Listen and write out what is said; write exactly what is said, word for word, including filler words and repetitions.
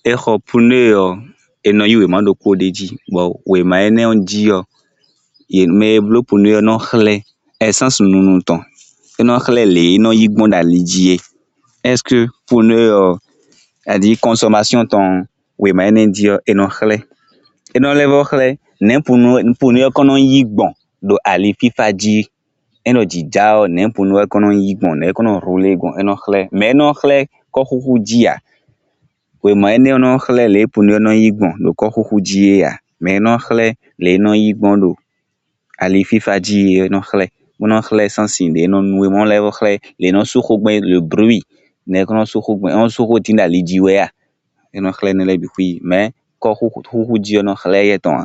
È xɔ "pneu" ɔ́, è nɔ yí wěma ɖokpó ɖó é jí bɔ wěma énɛ ɔ́ jí ɔ́, mɛ e bló "pneu" ɔ́ nɔ́ xlɛ́ "essence" nunu tɔn, é nɔ́ xlɛ́ lě é nɔ́ yi gbɔn ɖo ali jí é. "Est ce que pneu" ɔ́, "à dire consommation" tɔn ɔ́, wěma énɛ jí ɔ́ è nɔ xlɛ́. É nɔ́ lɛ́ vɔ́ xlɛ́ nɛ̌ "pneu" ɔ́ kɔ́n nɔ́ nyí gbɔn ɖo ali fífá jí. É ɖɔ jǐ já ɔ́, nɛ̌ "pneu" ɔ́ kɔ́n nɔ́ nyí gbɔn, nɛ̌ é kɔ́n nɔ́ "rouler" gbɔn, é nɔ́ xlɛ́. "Mais" é nɔ́ xlɛ́ kɔ́xúxú jí ǎ. Wěma énɛ ɔ́ nɔ́ xlɛ́ lě "pneu" ɔ́ nɔ́ nyí gbɔn ɖo kɔ́xúxú jí é ǎ. "Mais" é nɔ́ xlɛ́ lě é nɔ́ nyí gbɔn ɖo ali fífá jí é, é nɔ́ xlɛ́. Bó nɔ́ xlɛ́ "essence" ɖě é nɔ́ nu é, bó nɔ́ lɛ́ vɔ́ xlɛ́ lě é nɔ́ sú xó gbɔn é, le bruit, nɛ̌ é kɔ́n nɔ́ sú xó gbɔn, é nɔ́ sú xó dín ɖo ali jí wɛ a? É nɔ́ xlɛ́ énɛ lɛ́ɛ bǐ xwíí. "Mais" kɔ́xúxú jí ɔ́ nɔ́ xlɛ́ éyɛ́ tɔn ǎ.